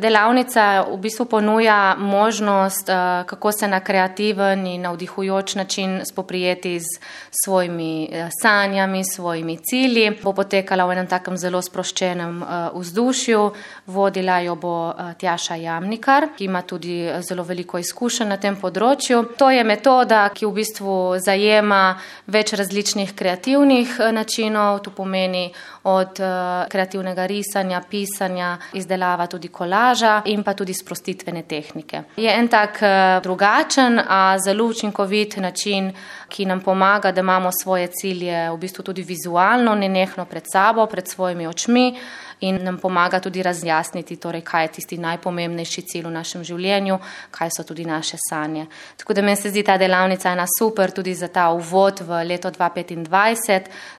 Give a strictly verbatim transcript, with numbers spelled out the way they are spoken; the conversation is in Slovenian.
Delavnica v bistvu ponuja možnost, kako se na kreativen in navdihujoč način spoprijeti z svojimi sanjami, svojimi cilji. Bo potekala v enem takem zelo sproščenem vzdušju. Vodila jo bo Tjaša Jamnikar, ki ima tudi zelo veliko izkušenj na tem področju. To je metoda, ki v bistvu zajema več različnih kreativnih načinov. To pomeni od kreativnega risanja, pisanja, izdelava tudi kolaža in pa tudi sprostitvene tehnike. Je en tak drugačen, a zelo učinkovit način, ki nam pomaga, da imamo svoje cilje v bistvu tudi vizualno, nenehno pred sabo, pred svojimi očmi in nam pomaga tudi razjasniti, torej, kaj je tisti najpomembnejši cilj v našem življenju, kaj so tudi naše sanje. Tako da meni se zdi ta delavnica ena super tudi za ta uvod v leto dva petindvajset,